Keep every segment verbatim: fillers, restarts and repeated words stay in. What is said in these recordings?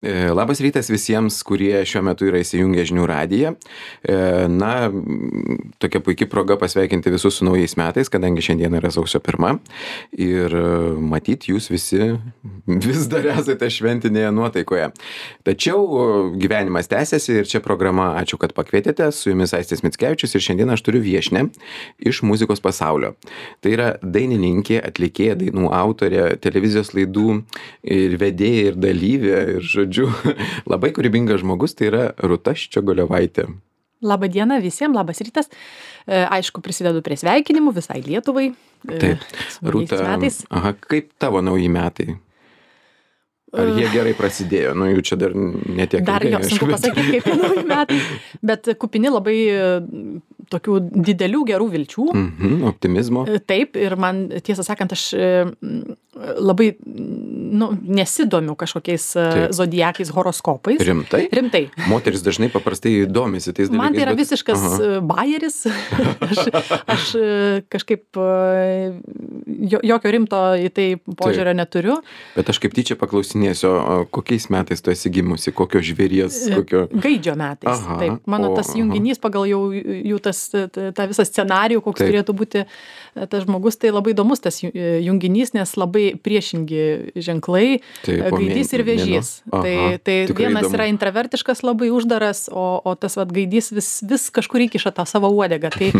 E, Labas rytas visiems, kurie šiuo metu yra įsijungę žinių radiją. E, Na, m, tokia puikia proga pasveikinti visus su naujais metais, kadangi šiandien yra sausio pirma. Ir e, matyt, jūs visi vis dar esate šventinėje nuotaikoje. Tačiau e, gyvenimas tęsiasi ir čia programa Ačiū, kad pakvietėte. Su jumis Aistis Mickevičius ir šiandien aš turiu viešnią iš muzikos pasaulio. Tai yra dainininkė, atlikėja, dainų autorė, televizijos laidų ir vedėja ir dalyvė ir žodžiu. Labai kūrybingas žmogus, tai yra Rūta Ščiogolevaitė. Labą dieną visiems, labas rytas. E, aišku, prisidedu prie sveikinimų visai Lietuvai. E, Taip, su naujais Rūta, metais. aha, kaip tavo nauji metai? Ar jie gerai prasidėjo? Nu, jų čia dar netiek. Dar ilgai, jo sunku aišku, bet- pasakyti, kaip tie nauji metai, bet kupini labai e, tokių didelių gerų vilčių. Mhm, optimizmo. E, Taip, ir man, tiesą sakant, aš e, m, labai nu, nesidomiu kažkokiais e, Taip. zodiakais, horoskopais. Rimtai? Rimtai. Moteris dažnai paprastai domisi tais dalykais. Man tai yra bet- visiškas Aha. e, bajeris. aš, aš e, kažkaip e, jo- jokio rimto į tai požiūrio neturiu. Bet aš kaip tyčia paklausinėsiu, o kokiais metais tu esi gimusi, kokio žvėries, kokio... Gaidžio metais. Aha, Taip, mano o, tas aha. junginys pagal jau jų tas, t- tą visą scenarijų, koks Taip. turėtų būti e, tas žmogus, tai labai įdomus tas ju- e, junginys, nes labai priešingi ženklai, Taip, e, o gaidys mėn- ir vėžys. mėnuo. Aha, Tai, tai tikrai vienas įdomu. yra intravertiškas, labai uždaras, o, o tas vat, gaidys vis, vis kažkur įkiša tą savo uodegą. Tai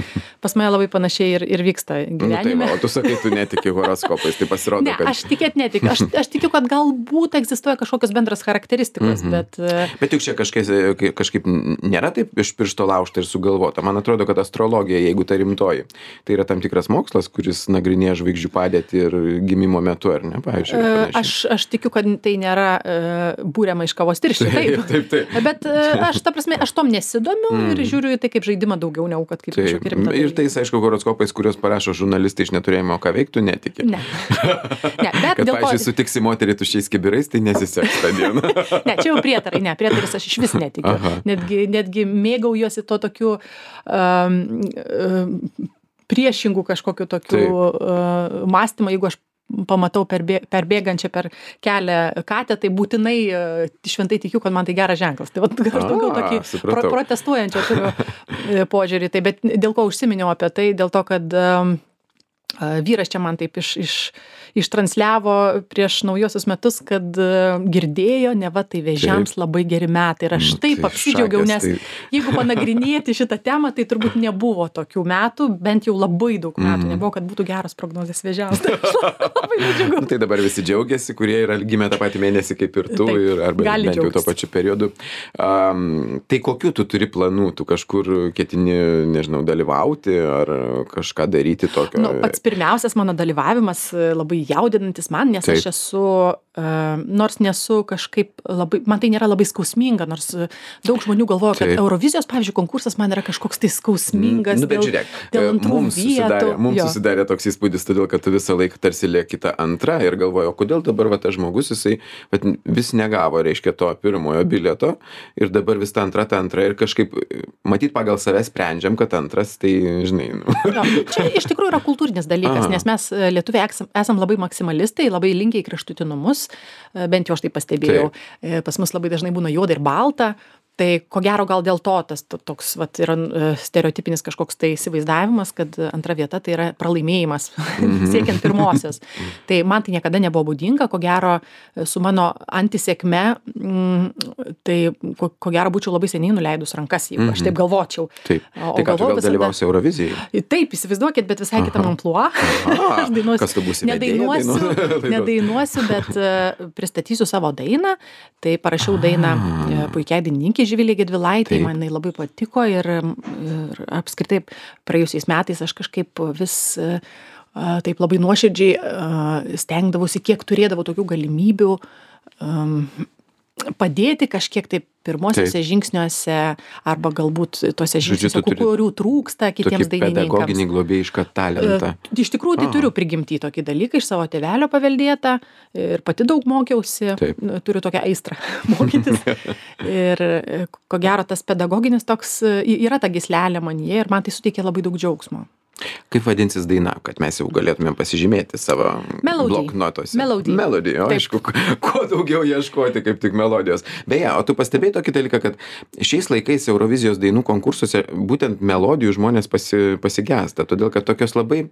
pas mane labai panašiai ir, ir vyksta Nu, tai gyvenime. va, o tu sakai, tu netiki horoskopais, tai pasirodo, Ne, kad... aš tikėt netikiu. Aš, aš tikiu, kad galbūt egzistuoja kažkokios bendras charakteristikos, Mhm. bet e, Bet juk čia kažkas, kažkaip nėra taip iš piršto laužta ir sugalvota. Man atrodo, kad astrologija, jeigu ta rimtoji, tai yra tam tikras mokslas, kuris nagrinėja žvaigždžių padėtį ir gimimo metu, ar ne, pavyzdžiui. ir E, panašiai. Aš, aš tikiu, kad tai nėra e, būriama iš kavos tirščių. Taip. taip, taip. Bet e, aš, ta prasme, aš tom nesidomiu mm. ir žiūriu į tai kaip žaidimą daugiau, negu kad kaip Taip. kažkokį rimtą. Ir tais, aišku, horoskopais, kuriuos parašo žurnalistai iš neturėjimo ką veiktų, netiki. Ne. ne, bet Kad, dėl ko... pavyzdžiui, sutiksi moterį tušiais kibirais, tai nesiseks tą dieną. Ne, čia jau prietarai, ne, prietarais aš iš vis netikiu. Aha. Netgi, netgi mėgaujuosi to tokiu um, um, priešingų kažkokiu tokiu uh, mąstymą, jeigu aš pamatau perbė, perbėgančią per kelią katę, tai būtinai uh, šventai tikiu, kad man tai geras ženklas. Tai vat, aš daugiau A, tokį pro, supratau. protestuojančią turiu e, požiūrį. Tai, bet dėl ko užsiminiau apie tai? Dėl to, kad um, a, vyras čia man taip iš, iš, ištransliavo prieš naujosius metus, kad e, girdėjo, neva tai vėžiams labai geri metai. Ir aš Nu, taip tai apsidžiaugiau, šakės, nes tai- jeigu panagrinėti šitą temą, tai turbūt nebuvo tokių metų, bent jau labai daug metų. Mhm. Nebuvo, kad būtų geros prognozės vėžiams. Tai aš labai nudžiugau. Nu, tai dabar visi džiaugiasi, kurie yra gimę tą patį mėnesį kaip ir tu, Taip, ir, arba gali bent jau tuo džiaugtis. pačiu periodu. Um, tai kokiu tu turi planų? Tu kažkur ketini, nežinau, dalyvauti ar kažką daryti tokio? Nu, pats pirmiausias mano dalyvavimas e, labai jaudinantis man, nes Taip. aš esu, uh, nors nesu kažkaip labai, man tai nėra labai skausminga, nors e, daug žmonių galvoja, kad Taip. Eurovizijos, pavyzdžiui, konkursas man yra kažkoks tai skausmingas. Nu, bet dėl, žiūrėk, dėl e, antrų mums susidarė, vietų. mums Jo. susidarė toks įspūdis, todėl kad tu visą laiką tarsi lieki tą antrą ir galvoji, o kodėl dabar va, tas žmogus, jisai vat, vis negavo, reiškia, to pirmojo bilieto ir dabar vis ta antra, ta antra ir kažkaip, matyt, pagal save sprendžiam, kad antras, tai, žinai, nu. Jo, čia iš tikrųjų yra kultūrinis dalykas, Aha. nes mes e, lietuviai esam, esam labai maksimalistai, labai linkę į kraštutinumus, e, bent jau aš tai pastebėjau. E, Pas mus labai dažnai būna juoda ir balta. Tai ko gero gal dėl to tas to- toks vat, yra e, stereotipinis kažkoks tai įsivaizdavimas, kad antra vieta tai yra pralaimėjimas siekiant pirmosios. Tai man tai niekada nebuvo būdinga, ko gero e, su mano antisėkme, mm, tai ko, ko gero būčiau labai seniai nuleidus rankas, jeigu aš taip galvočiau. Taip. O- o Tai ką, tu galvojau gal visada- dalyvausi Eurovizijai? Taip, įsivaizduokit, bet visai kitam amplua. Aha. Aš dainuosiu. Kas tu būsi, vedėja Nedainuosiu, dainos? nedainuosiu, bet uh, pristatysiu savo dainą. Tai parašiau dainą uh, puikiai dainininkei Živilei Gedvilaitei, Taip. man jinai labai patiko ir, ir apskritai praėjusiais metais aš kažkaip vis uh, taip labai nuoširdžiai uh, stengdavausi, kiek turėdavau tokių galimybių um, padėti kažkiek tai pirmosiuose Taip. žingsniuose arba galbūt tuose Žodžiu, žingsniuose, tu turi kurių trūksta kitiems Tokį dainininkams. pedagoginį globėjišką talentą. E, Iš tikrųjų, tai Aha. turiu prigimtį tokį dalyką iš savo tėvelio paveldėtą ir pati daug mokiausi, Taip. Nu, turiu tokią aistrą mokytis. Ir e, ko gero tas pedagoginis toks e, yra ta gyslelė manyje ir man tai suteikia labai daug džiaugsmo. Kaip vadinsis daina, kad mes jau galėtumėm pasižymėti savo Melody. bloknotuose? Melody. Melody, o aišku, kuo daugiau ieškoti, kaip tik melodijos. Beje, o tu pastebėjai tokį dalyką, kad šiais laikais Eurovizijos dainų konkursuose būtent melodijų žmonės pasi, pasigesta, todėl kad tokios labai,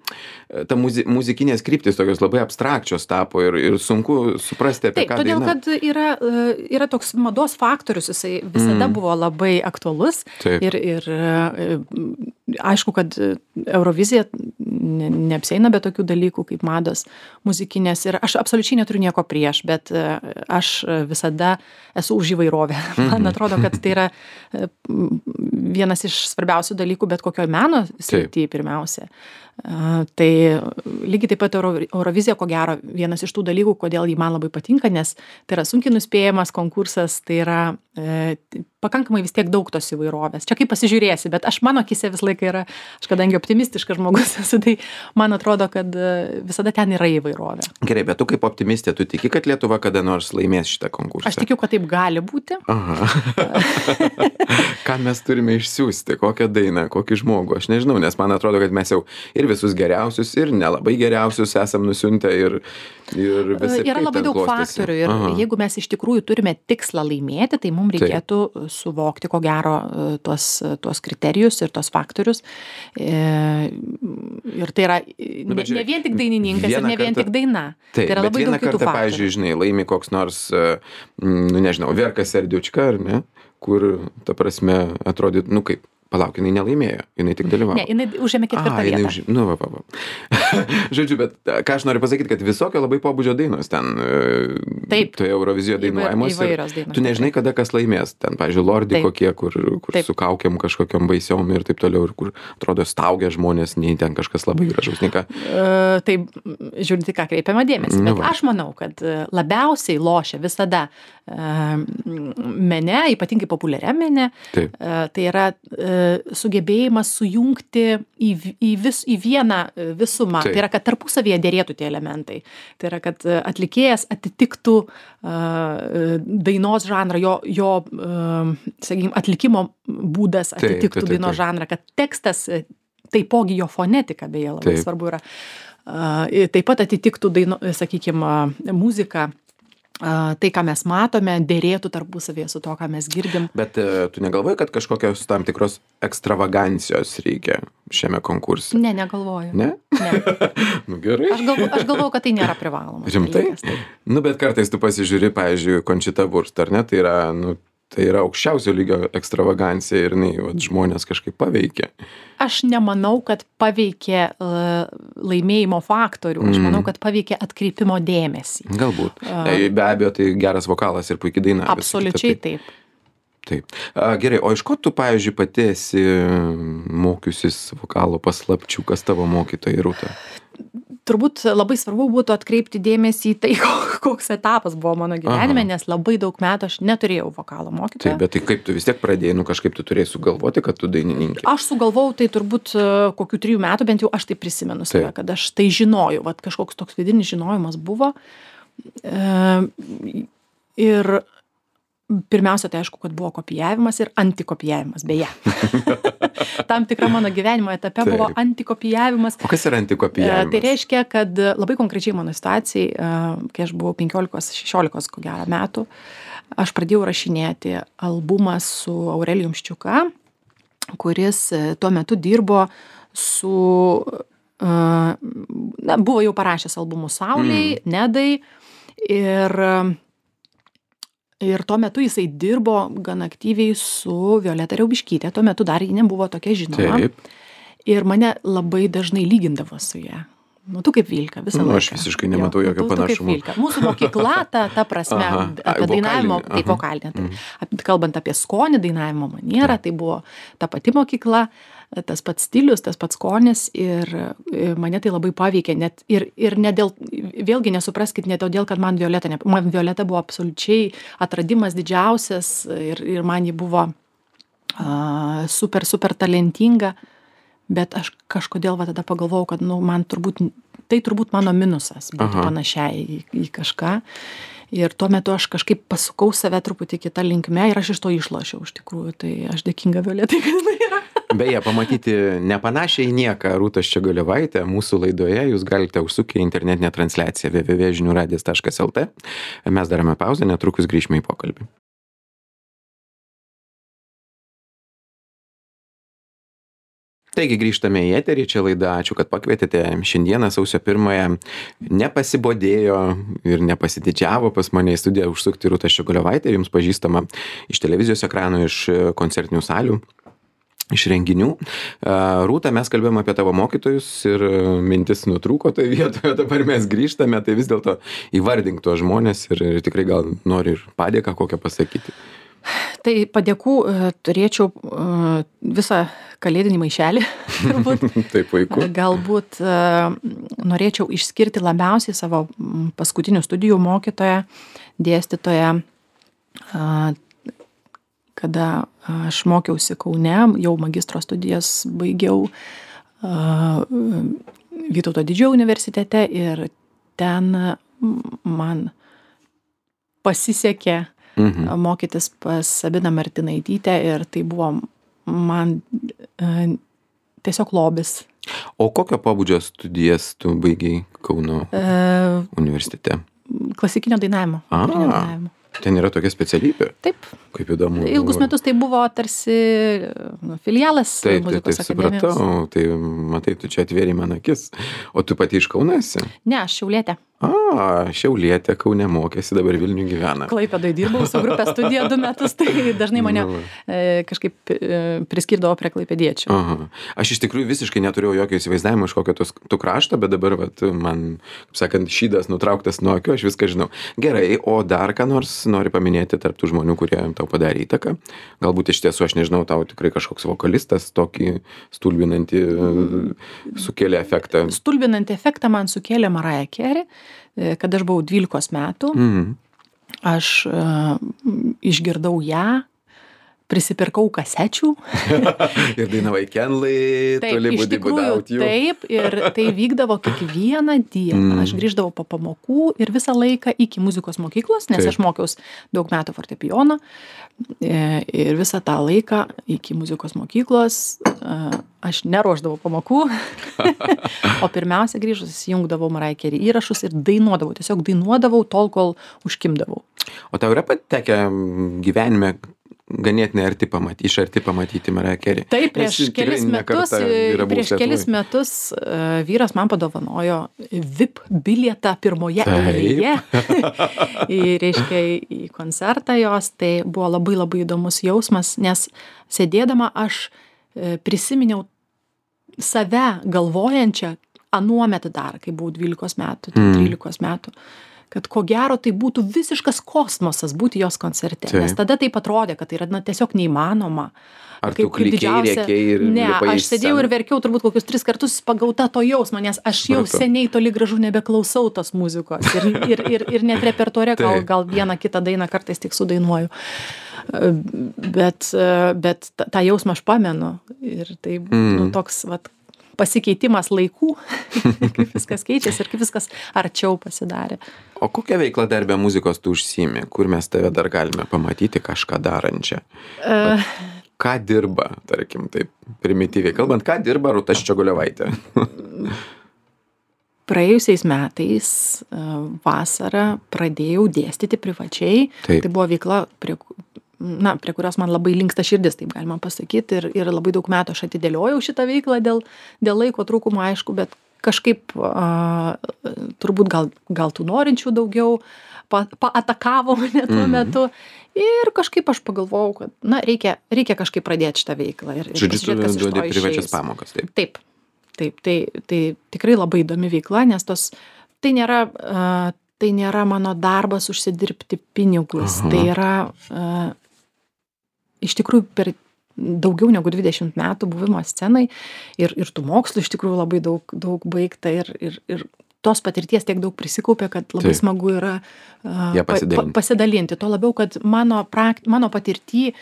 ta muzi, muzikinės kryptis tokios labai abstrakčios tapo ir, ir sunku suprasti, apie Taip, ką todėl, daina. kad yra, yra toks mados faktorius, jisai visada mm. buvo labai aktualus. Taip. Ir, ir aišku, kad Eurovizija ne, neapsieina be tokių dalykų kaip mados muzikinės. Ir aš absoliučiai neturiu nieko prieš, bet aš visada esu už įvairovę. Man atrodo, kad tai yra vienas iš svarbiausių dalykų bet kokioj meno srityje pirmiausia. Uh, tai lygiai taip pat Euro, Eurovizija, ko gero, vienas iš tų dalykų, kodėl jį man labai patinka, nes tai yra sunkiai nuspėjamas konkursas, tai yra e, pakankamai vis tiek daug tos įvairovės. Čia kaip pasižiūrėsi, bet aš mano akise vis laiką yra, aš kadangi optimistiškas žmogus esu, tai man atrodo, kad visada ten yra įvairovė. Gerai, bet tu kaip optimistė, tu tiki, kad Lietuva kada nors laimės šitą konkursą? Aš tikiu, kad taip gali būti. Aha. Ką mes turime išsiųsti, kokią dainą, kokį žmogų, aš nežinau, nes man atrodo, kad mes jau ir visus geriausius, ir nelabai geriausius esam nusiuntę ir, ir visi. Yra labai daug klostėsi. Faktorių ir Aha. jeigu mes iš tikrųjų turime tikslą laimėti, tai mums reikėtų Taip. suvokti, ko gero, tuos, tuos kriterijus ir tuos faktorius. Ir tai yra nu, ne, ne vien tik dainininkas ir ne vien kartą, tik daina. Taip, tai yra labai daug kitų faktorių. Kartą, pavyzdžiui, žinai, laimi koks nors, nu nežinau, Verka Serdiučka, ar ne, kur, ta prasme, atrodytų, nu kaip, palauk, jinai nelaimėjo, jinai tik dalyvavo. Ne, jinai užėmė ketvirtą vietą. Už... Nu, va, va, va. Žodžiu, bet ką aš noriu pasakyti, kad visokio labai pobūdžio dainos ten Taip. toje Eurovizijoje dainuojamos. Įvairios dainos. Tu nežinai, kada kas laimės. Ten, pavyzdžiui, Lordi Taip. kokie, kur, kur su kaukiam kažkokiam baisiom ir taip toliau, ir kur, atrodo, staugia žmonės, nei ten kažkas labai gražaus, nei ką. Uh, taip, žiūrint, ką kreipiama dėmesį. Bet aš manau, kad labiausiai lošia visada uh, mene, ypatingai populiariam mene, uh, tai yra uh, sugebėjimas sujungti į, į, vis, į vieną visumą. Taip. Tai yra, kad tarpusavyje dėrėtų tie elementai. Tai yra, kad atlikėjas atitiktų uh, dainos žanrą, jo, jo uh, sakykime, atlikimo būdas atitiktų taip, taip, taip, dainos žanrą, kad tekstas, taipogi jo fonetika, beje, labai taip. svarbu yra, uh, taip pat atitiktų, daino, sakykime, muziką. Uh, tai, ką mes matome, dėrėtų tarpusavėje su to, ką mes girdim. Bet uh, tu negalvoji, kad kažkokios tam tikros ekstravagancijos reikia šiame konkurse? Ne, negalvoju. Ne? Ne. Nu gerai. Aš galvoju, aš galvoju, kad tai nėra privaloma. Rimtai? Dalykas, nu, bet kartais tu pasižiūri, pavyzdžiui, Conchita Wurst, ar ne? Tai yra, nu, tai yra aukščiausio lygio ekstravagancija ir jinai, vat, žmonės kažkaip paveikė. Aš nemanau, kad paveikė uh, laimėjimo faktorių. Aš manau, kad paveikė atkreipimo dėmesį. Galbūt. Uh, Be abejo, tai geras vokalas ir puikiai daina. Absoliučiai taip. Taip. A, gerai, o iš ko tu, pavyzdžiui, pati esi mokiusis vokalo paslapčių, kas tavo mokytojai, Rūta? Turbūt labai svarbu būtų atkreipti dėmesį į tai, koks etapas buvo mano gyvenime, Aha. nes labai daug metų aš neturėjau vokalo mokytojo. Taip, bet tai kaip tu vis tiek pradėjai, nu kažkaip tu turėjai sugalvoti, kad tu dainininkė? Aš sugalvojau tai turbūt kokių trijų metų, bent jau aš tai prisimenu save, kad aš tai žinojau, vat kažkoks toks vidinis žinojimas buvo. E, ir pirmiausia, tai aišku, kad buvo kopijavimas ir antikopijavimas, beje. Tam tikra mano gyvenimo etape Taip. buvo antikopijavimas. O kas yra antikopijavimas? Tai reiškia, kad labai konkrečiai mano situacijai, kai aš buvau penkiolikos šešiolikos ko gero metų, aš pradėjau rašinėti albumą su Aurelijum Ščiuka, kuris tuo metu dirbo su, na, buvo jau parašęs albumus Saulei, mm. Nedai ir Ir tuo metu jisai dirbo gan aktyviai su Violeta Riaubiškyte. Tuo metu dar ji nebuvo tokia žinoma. Taip. Ir mane labai dažnai lygindavo su ja. Nu, tu kaip Vilka, visą nu, laiką. Aš visiškai nematau jo, jokio panašumo. Mūsų mokykla, ta, ta prasme, Aha, apie dainavimo, tai vokalinė. Tai, mm. Kalbant apie skonį, dainavimo manierą, tai buvo ta pati mokykla, tas pats stilius, tas pats skonis ir mane tai labai paveikė. Net, ir ir ne dėl, vėlgi nesupraskit, ne todėl, kad man Violeta, ne, man Violeta buvo absoliučiai atradimas didžiausias ir, ir man ji buvo uh, super, super talentinga. Bet aš kažkodėl va tada pagalvojau, kad nu, man turbūt, tai turbūt mano minusas būtų Aha. panašiai į, į kažką. ir tuo metu aš kažkaip pasukau save truputį kitą linkme ir aš iš to išlošiau iš tikrųjų, tai aš dėkinga Violetai, kad jinai yra. Beje, pamatyti nepanašiai į nieką Rūtą Ščiogolevaitę mūsų laidoje jūs galite užsukę internetinę transliaciją w w w taškas žinių radijas taškas l t. Mes darome pauzę, netrukus grįžime į pokalbį. Taigi grįžtame į eterį, čia laida, ačiū, kad pakvietėte. Šiandieną sausio pirmąją nepasibodėjo ir nepasididžiavo pas mane į studiją užsukti Rūta Ščiogolevaitė, jums pažįstama iš televizijos ekranų, iš koncertinių salių, iš renginių. Rūta, mes kalbėjome apie tavo mokytojus ir mintis nutrūko toje vietoje, dabar mes grįžtame, tai vis dėlto įvardink tuos žmonės ir, ir tikrai gal nori ir padėką kokią pasakyti. Tai padėkų turėčiau visą kalėdinį maišelį, turbūt. Tai puiku. Galbūt norėčiau išskirti labiausiai savo paskutinių studijų mokytoją, dėstytoją, kada aš mokiausi Kaune, jau magistro studijas baigiau Vytauto Didžiojo universitete ir ten man pasisekė Mhm. mokytis pas Sabiną Martinaitytę ir tai buvo man e, tiesiog lobis. O kokio pobūdžio studijas tu baigiai Kauno e, universitete? Klasikinio dainavimo. A, dainavimo. Ten yra tokia specialybė? Taip. Kaip įdomu. Ilgus metus tai buvo tarsi nu, filialas taip, muzikos taip, akademijos. Taip, supratau. Tai matai, tu čia atvėrei man akis. O tu pati iš Kauno esi? Ne, aš Šiaulietė. A, Šiaulietė, Kaune mokėsi, dabar Vilniuje gyvena. Klaipėdoje dirbau su grupė studija du metus, tai dažnai mane Nu. e, kažkaip e, priskirdavo prie klaipėdiečių. Aha. Aš iš tikrųjų visiškai neturėjau jokio įsivaizdavimo iš kokio tos, tu krašto, bet dabar vat, man, kaip sakant, šydas nutrauktas nuo akių, aš viską žinau. Gerai, o dar ką nors nori paminėti tarp tų žmonių, kurie tau padarė įtaką? Galbūt iš tiesų, aš nežinau, tau tikrai kažkoks vokalistas tokį stulbinantį sukėlė efektą. Stulbinantį efektą man sukėlė Mariah Carey, kad aš buvau dvylikos metų. Mhm. Aš uh, išgirdau ją, prisipirkau kasečių. Ir dainavai Kenlai, toli iš budi tikrųjų, without you. taip, ir tai vykdavo kiekvieną dieną. Mm. Aš grįždavau po pamokų ir visą laiką iki muzikos mokyklos, nes Taip. aš mokiaus daug metų fortepijono. E, Ir visą tą laiką iki muzikos mokyklos e, aš neruošdavau pamokų, o pirmiausia grįžus įjungdavau Mariah Carey įrašus ir dainuodavau, tiesiog dainuodavau tol, kol užkimdavau. O tau yra patekę gyvenime ganėtinai arti pamatyti, iš arti pamatyti Mariah Carey? Taip, prieš Nes tikrai kelis ne metus, kartą yra buvus prieš kelis Lietuvoj. metus uh, vyras man padovanojo V I P bilietą pirmoje Taip. eilėje į, reiškia, į koncertą jos. Tai buvo labai labai įdomus jausmas, nes sėdėdama aš e, prisiminiau save galvojančią anuomet dar, kai buvau dvylikos metų, Mm. trylikos metų, kad ko gero tai būtų visiškas kosmosas būti jos koncerte. Taip. Nes tada taip atrodė, kad tai yra na, tiesiog neįmanoma. Ar tu klikei, rėkei ir Ne, lipai į aš sėdėjau sceną? ir verkiau turbūt kokius tris kartus pagauta to jausmo, nes aš jau Supratau. seniai toli gražu nebeklausau tos muzikos. Ir, ir, ir, ir net repertuare gal, Taip. gal vieną kitą dainą kartais tik sudainuoju. Bet, bet tą tą jausmą aš pamenu. Ir tai Mm. nu, toks vat, pasikeitimas laikų, kaip viskas keičiasi ir kaip viskas arčiau pasidarė. O kokią veiklą dar be muzikos tu užsiimi? Kur mes tave dar galime pamatyti kažką darančią? Uh, Ką dirba, tarkim, taip primityviai kalbant, ką dirba Rūta Ščiogolevaitė? Praėjusiais metais vasarą pradėjau dėstyti privačiai. Taip. Tai buvo veikla, prie, na, prie kurios man labai linksta širdis, taip galima pasakyti. Ir, ir labai daug metų aš atidėliojau šitą veiklą dėl, dėl laiko trūkumo, aišku, bet kažkaip a, turbūt gal, gal tų norinčių daugiau pa, paatakavo mane tuo Mhm. metu. Ir kažkaip aš pagalvojau, kad na, reikia, reikia kažkaip pradėti šitą veiklą. Ir, ir Žodžiu, tu pasižiūrėt, kas iš to duodi privačias išeis. pamokas, taip. Taip, taip, tai, tai tikrai labai įdomi veikla, nes tos, tai nėra, uh, tai nėra mano darbas užsidirbti pinigus, Aha. tai yra uh, iš tikrųjų per daugiau negu dvidešimt metų buvimo scenai ir, ir tų mokslų iš tikrųjų labai daug, daug baigta ir, ir, ir tos patirties tiek daug prisikaupė, kad labai Taip. smagu yra uh, Ja pa- pasidalinti. pa- pasidalinti. Tuo labiau, kad mano, prakt, mano patirty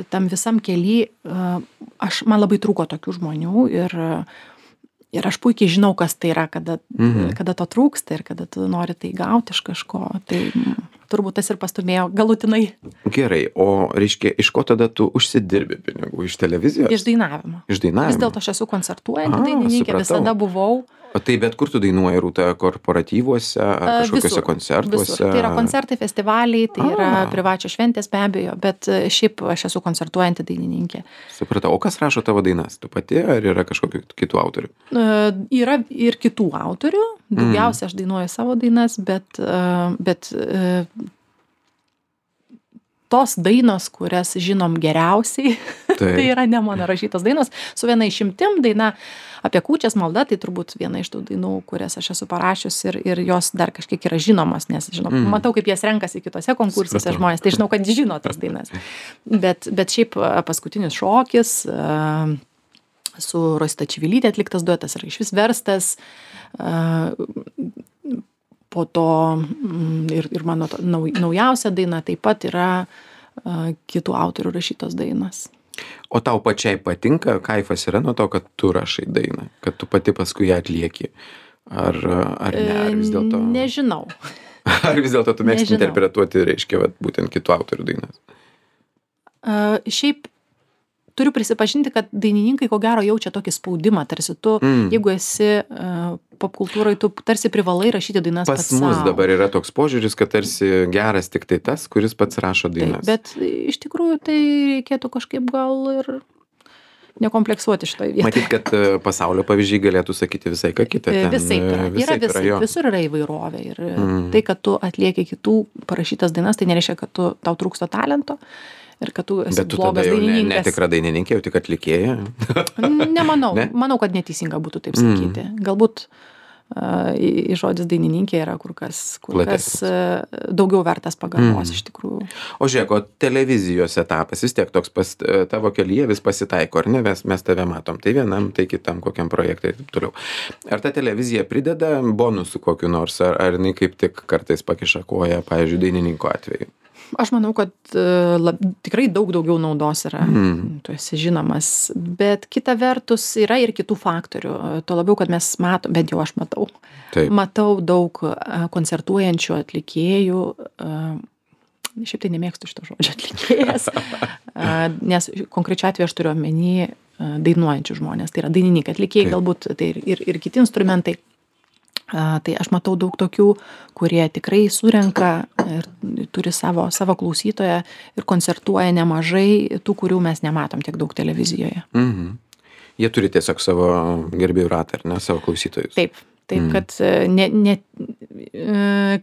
tam visam kely, uh, aš, man labai trūko tokių žmonių ir, ir aš puikiai žinau, kas tai yra, kada, Mhm. kada to trūksta ir kada tu nori tai gauti iš kažko. Tai turbūt tas ir pastumėjo galutinai. Gerai, o reiškia, iš ko tada tu užsidirbi pinigų? Iš televizijos? Iš dainavimo. Iš dainavimo. Vis dėlto aš esu koncertuojanti A, dainininkė, supratau. visada buvau. O tai bet kur tu dainuoji, Rūta, korporatyvuose ar kažkokiuose Visur, koncertuose? Visur. Tai yra koncertai, festivaliai, tai yra A. privačios šventės be abejo, bet šiaip aš esu koncertuojanti dainininkė. Supratau, o kas rašo tavo dainas? Tu pati ar yra kažkokių kitų autorių? Uh, yra ir kitų autorių, daugiausia aš dainuoju savo dainas, bet, uh, bet uh, tos dainos, kurias žinom geriausiai, tai yra ne mano rašytos dainos, su viena išimtim daina apie kūčias malda, tai turbūt viena iš tų dainų, kurias aš esu parašius ir, ir jos dar kažkiek yra žinomos, nes žinau, mm. matau, kaip jas renkasi kitose konkursuose Supratau. Žmonės, tai žinau, kad žino tas dainas. Bet, bet šiaip paskutinis šokis, uh, su Rosita Čivilytė atliktas duetas yra išvis verstas, uh, po to mm, ir, ir mano to, nau, naujausia daina taip pat yra uh, kitų autorių rašytos dainos. O tau pačiai patinka, kaifas yra nuo to, kad tu rašai dainą, kad tu pati paskui ją atlieki? Ar, ar ne, ar vis dėlto... Nežinau. Ar vis dėlto tu mėgsti Nežinau. interpretuoti, reiškia, vat, būtent kitų autorių dainas? Uh, šiaip turiu prisipažinti, kad dainininkai ko gero jaučia tokį spaudimą, tarsi tu, mm. jeigu esi uh, popkultūrai, tu tarsi privalai rašyti dainas Pas pats mus sau. dabar yra toks požiūris, kad tarsi geras tik tai tas, kuris pats rašo dainas. Taip, bet iš tikrųjų tai reikėtų kažkaip gal ir nekompleksuoti šitoje vietoje. Matyt, kad uh, pasaulio pavyzdžiai galėtų sakyti visai ką kitą. Ten, Visaip yra. uh, Yra visaip visaip, jo. visur yra įvairovė. Ir Mm. tai, kad tu atlieki kitų parašytas dainas, tai nereiškia, kad tu, tau trūksta talento ir kad tu esi Bet tu tada blogas jau ne, dainininkas. netikra dainininkė, jau tik atlikėja. Nemanau. Ne? Manau, kad neteisinga būtų taip sakyti. Mm. Galbūt uh, į, į žodis dainininkė yra kur kas, kur kas uh, daugiau vertas pagarbos mm. iš tikrųjų. O žiūrėk, o televizijos etapas vis tiek toks pas, tavo kelyje vis pasitaiko, ar ne? Mes, mes tave matom, tai vienam, tai kitam, kokiam projektai ir taip toliau. Ar ta televizija prideda bonusų kokiu nors, ar, ar jinai kaip tik kartais pakiša koją, pavyzdžiui, dainininko atveju? Aš manau, kad uh, lab, tikrai daug daugiau naudos yra, mm. tu esi žinomas, bet kita vertus yra ir kitų faktorių. Tuo labiau, kad mes matom, bent jau aš matau, Taip. matau daug uh, koncertuojančių atlikėjų, uh, šiaip tai nemėgstu šito žodžio atlikėjas, uh, nes konkrečiu atveju aš turiu omeny uh, dainuojančių žmonės, tai yra dainininkai, atlikėjai, Taip. galbūt tai ir, ir, ir kiti instrumentai. Uh, tai aš matau daug tokių, kurie tikrai surenka ir turi savo, savo klausytoją ir koncertuoja nemažai tų, kurių mes nematom tiek daug televizijoje. Mhm. Jie turi tiesiog savo gerbėjų ratą, ar ne, savo klausytojus. Taip, taip, mm. kad ne, ne,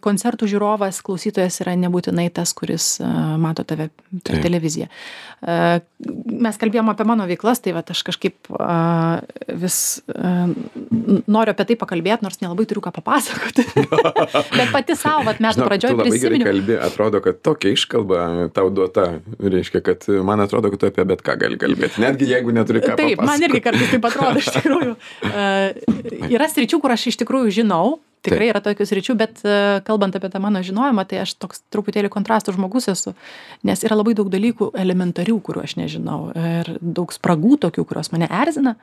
koncertų žiūrovas, klausytojas yra nebūtinai tas, kuris mato tave per Taip. televiziją. Mes kalbėjom apie mano veiklas, tai vat aš kažkaip vis noriu apie tai pakalbėti, nors nelabai turiu ką papasakoti. Bet pati savo, vat metų pradžioj prisiminiau. Tu labai gerai prisiminiau. kalbi, atrodo, kad tokia iškalba tau duota, reiškia, kad man atrodo, kad tu apie bet ką gali kalbėti, netgi jeigu neturi ką Taip, papasakoti. man irgi kartais taip atrodo, iš tikrųjų. Uh, yra sričių, kur aš iš tikrųjų žinau, tikrai Taip. yra tokių sričių, bet uh, kalbant apie tą mano žinojimą, tai aš toks truputėlį kontrastų žmogus esu, nes yra labai daug dalykų elementarių, kurių aš nežinau, ir daug spragų tokių, kurios mane erzina.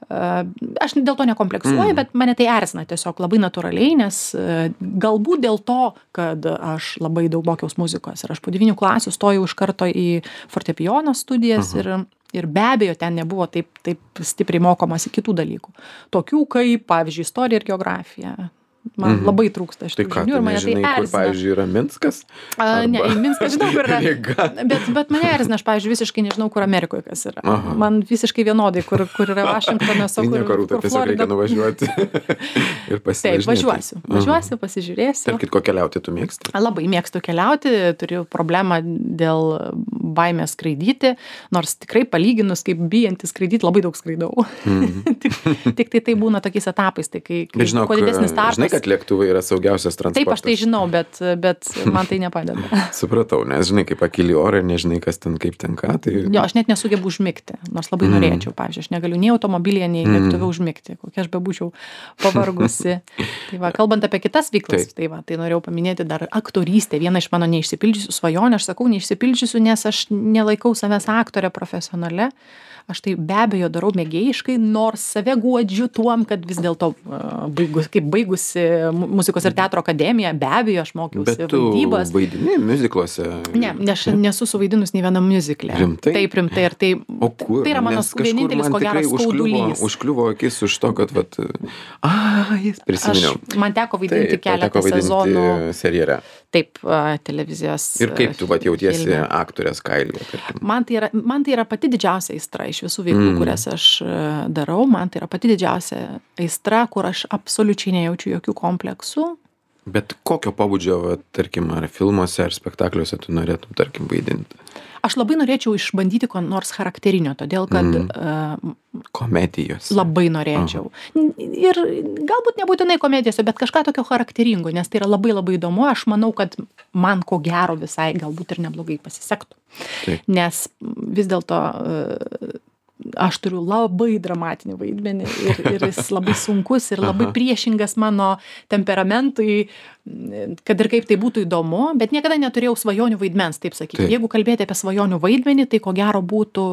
Uh, aš dėl to nekompleksuoju, mm. bet mane tai erzina tiesiog labai natūraliai, nes uh, galbūt dėl to, kad aš labai daug mokiaus muzikos ir aš po devynių klasių stojau iš karto į fortepijono studijas uh -huh. ir, ir be abejo ten nebuvo taip, taip stipriai mokomasi kitų dalykų. Tokių kaip, pavyzdžiui, istorija ir geografija. Man mhm. labai trūksta šitų tai ką, žinių ir mane nežinai, tai kur, erzina. pavyzdžiui, yra Minskas? A, ne, į Minską žinau, kur yra. Ryga. Bet, bet mane erzina, aš, pavyzdžiui, visiškai nežinau, kur Amerikoje kas yra. Aha. Man visiškai vienodai, kur, kur yra Vašingtonas, o Tai kur, nieko, Rūta, kur tiesiog reikia Florida. nuvažiuoti ir Taip, pasivažinėti. važiuosiu. Važiuosiu, pasižiūrėsiu. Tarp kitko keliauti tu mėgsti? Labai mėgstu keliauti, turiu problemą dėl baimės skraidyti, nors tikrai palyginus, kaip bijantis skraidyti, labai daug skraidau. Mm. tik, tik tai tai būna tokiais etapais, tai kai, kai Žinok, kuo didesnis tarpas. žinai, kad lėktuvai yra saugiausias transportas. Taip, aš tai žinau, bet, bet man tai nepadeda. Supratau, nes žinai, kaip pakili orą, nežinai, kas ten, kaip ten ką. Tai... Jo, aš net nesugebu užmigti, nors labai mm. norėčiau, pavyzdžiui, aš negaliu nei automobilyje, nei Mm. lėktuve užmigti, kokia aš bebūčiau pavargusi. Tai va, kalbant apie kitas veiklas, Taip. tai va, tai norėjau paminėti dar aktorystę, viena iš mano neišsipildžiusių svajonių, aš sakau neišsipildžiusių, nes aš nelaikau savęs aktorė profesionale. Aš tai be abejo darau mėgėjiškai, nors save guodžiu tuom, kad vis dėlto uh, baigus, kaip baigusi mu- muzikos ir teatro akademiją, be abejo, aš mokiausi Bet tu vaidybos. vaidini muzikluose? Ne, ne, aš nesu suvaidinus nei vienam muzikle. Rimtai? Taip, rimtai. Ir tai, O kur? tai yra mano Nes kažkur vienintelis, man ko gero, tikrai užkliuvo, skaudulys. užkliuvo akis už to, kad, vat, a, jis prisiminiau. Aš, man teko vaidinti Taip, tau keletą teko vaidinti sezonų. seriale. Taip, a, televizijos. Ir kaip tu, vat, jautiesi filme. aktorės kailyje, tarkim? Man tai, yra, man tai yra pati didžiausia aistra iš visų veiklų, mm. kurias aš e, darau. Man tai yra pati didžiausia aistra, kur aš absoliučiai nejaučiu jokių kompleksų. Bet kokio pobūdžio, vat, tarkim, ar filmuose, ar spektakliuose tu norėtum, tarkim, vaidinti? Aš labai norėčiau išbandyti ko nors charakterinio, todėl kad Mm. e, Komedijos. labai norėčiau. Ir galbūt nebūtinai komedijose, bet kažką tokio charakteringo, nes tai yra labai labai įdomu. Aš manau, kad man ko gero visai galbūt ir neblogai pasisektų. Taip. Nes vis dėlto e, aš turiu labai dramatinį vaidmenį ir, ir jis labai sunkus ir labai Aha. priešingas mano temperamentui, kad ir kaip tai būtų įdomu, bet niekada neturėjau svajonių vaidmens, taip sakyti. Taip. Jeigu kalbėti apie svajonių vaidmenį, tai ko gero būtų